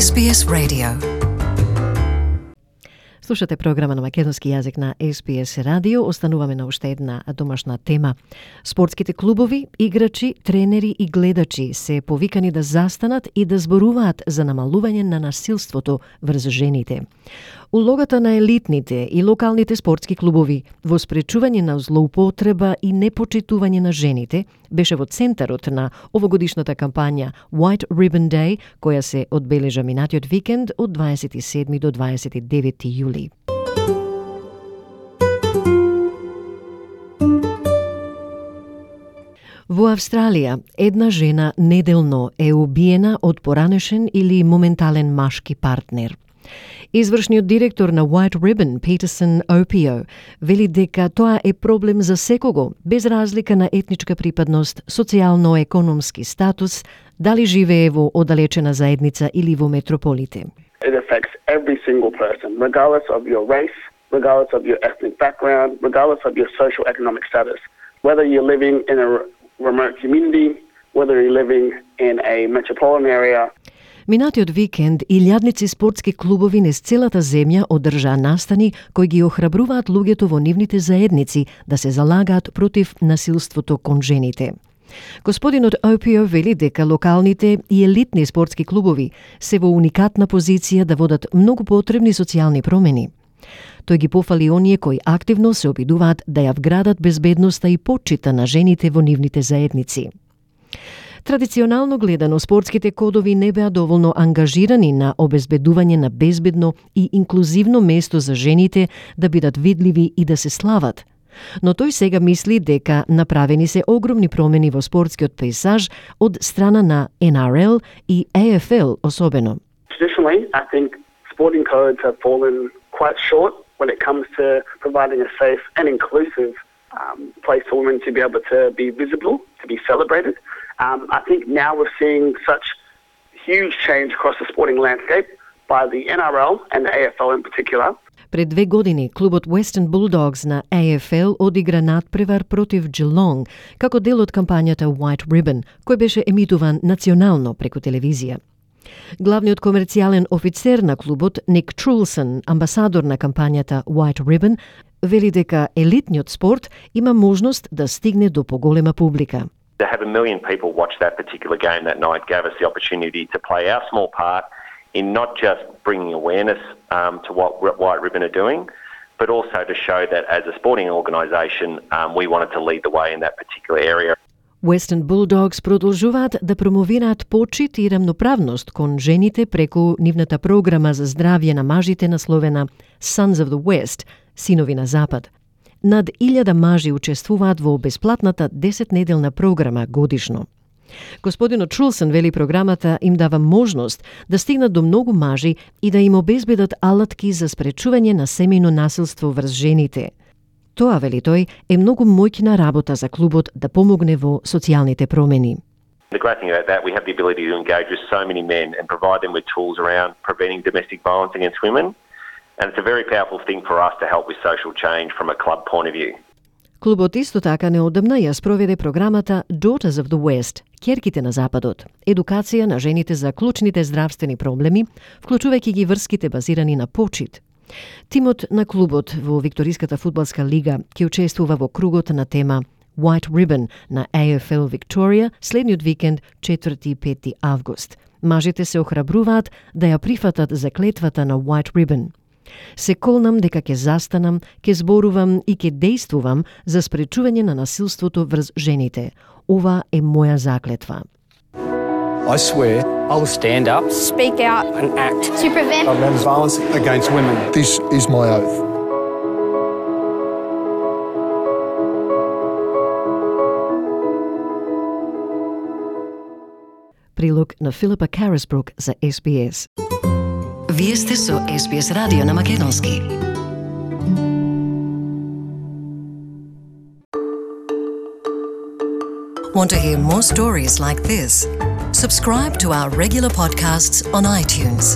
SBS Radio. Слушате програма на македонски јазик на SBS Radio. Остануваме на уште една домашна тема. Спортските клубови, играчи, тренери и гледачи се повикани да застанат и да зборуваат за намалување на насилството врз жените. Улогата на елитните и локалните спортски клубови во спречување на злоупотреба и непочитување на жените беше во центарот на овогодишната кампања White Ribbon Day, која се одбележа минатиот викенд од 27 до 29 јули. Во Австралија, една жена неделно е убиена од поранешен или моментален машки партнер. Извршниот директор на White Ribbon, Peterson Opio, вели дека тоа е проблем за секого, без разлика на етничка припадност, социјално-економски статус, дали живее во оддалечена заедница или во метрополите. It affects every single person, regardless of your race, regardless of your ethnic background, regardless of your social economic status. Whether you're living in a remote community, whether you're living in a metropolitan area. Минатиот викенд илјадници спортски клубови низ целата земја одржаа настани кои ги охрабруваат луѓето во нивните заедници да се залагаат против насилството кон жените. Господинот Опио вели дека локалните и елитни спортски клубови се во уникатна позиција да водат многу потребни социјални промени. Тој ги пофали оние кои активно се обидуваат да ја вградат безбедноста и почита на жените во нивните заедници. Традиционално гледано, спортските кодови не беа доволно ангажирани на обезбедување на безбедно и инклузивно место за жените да бидат видливи и да се слават. Но тој сега мисли дека направени се огромни промени во спортскиот пейзаж од страна на NRL и AFL особено. Traditionally, I think sporting codes have fallen quite short when it comes to providing a safe and inclusive place for women to be able to be visible, to be celebrated. I think now we're seeing such huge change across the sporting landscape by the NRL and the AFL in particular. Пред 2 години клубот Western Bulldogs на AFL одигра надпревар против Geelong како дел од кампањата White Ribbon, кој беше емитуван национално преку телевизија. Главниот комерцијален офицер на клубот, Ник Трулсон, амбасадор на кампањата White Ribbon, вели дека елитниот спорт има можност да стигне до поголема публика. To have 1 million people watch that particular game that night gave us the opportunity to play our small part in not just bringing awareness to what White Ribbon are doing, but also to show that as a sporting organisation, we wanted to lead the way in that particular area. Western Bulldogs продолжуваат да промовираат почит и рамноправност кон жените преку нивната програма за здравје на мажите насловена Sons of the West, синови на Запад. Над 1000 мажи учествуваат во бесплатната 10-неделна програма годишно. Господинот Трулсон вели програмата им дава можност да стигнат до многу мажи и да им обезбедат алатки за спречување на семејно насилство врз жените. Тоа, вели тој, е многу моќна работа за клубот да помогне во социјалните промени. The great thing about that, we have the ability to engage with so many men and provide them with tools around preventing domestic violence against women. And it's a very powerful thing for us to help with social change from a club point of view. Клубот исто така неодамна ја спроведе програмата Daughters of the West, ќерките на Западот, едукација на жените за клучните здравствени проблеми, вклучувајќи ги врските базирани на почит. Тимот на клубот во Викториската фудбалска лига ќе учествува во кругот на тема White Ribbon на AFL Victoria следниот викенд 4 и 5 август. Мажите се охрабруваат да ја прифатат заклетвата на White Ribbon. Се колнам дека ќе застанам, ќе зборувам и ќе дејствувам за спречување на насилството врз жените. Ова е моја заклетва. I swear I will stand up, speak out and act to prevent violence against women. This is my oath. Прилог на Филипа Карисбрук за SBS. Вие сте со SBS радио на македонски. Want to hear more stories like this? Subscribe to our regular podcasts on iTunes.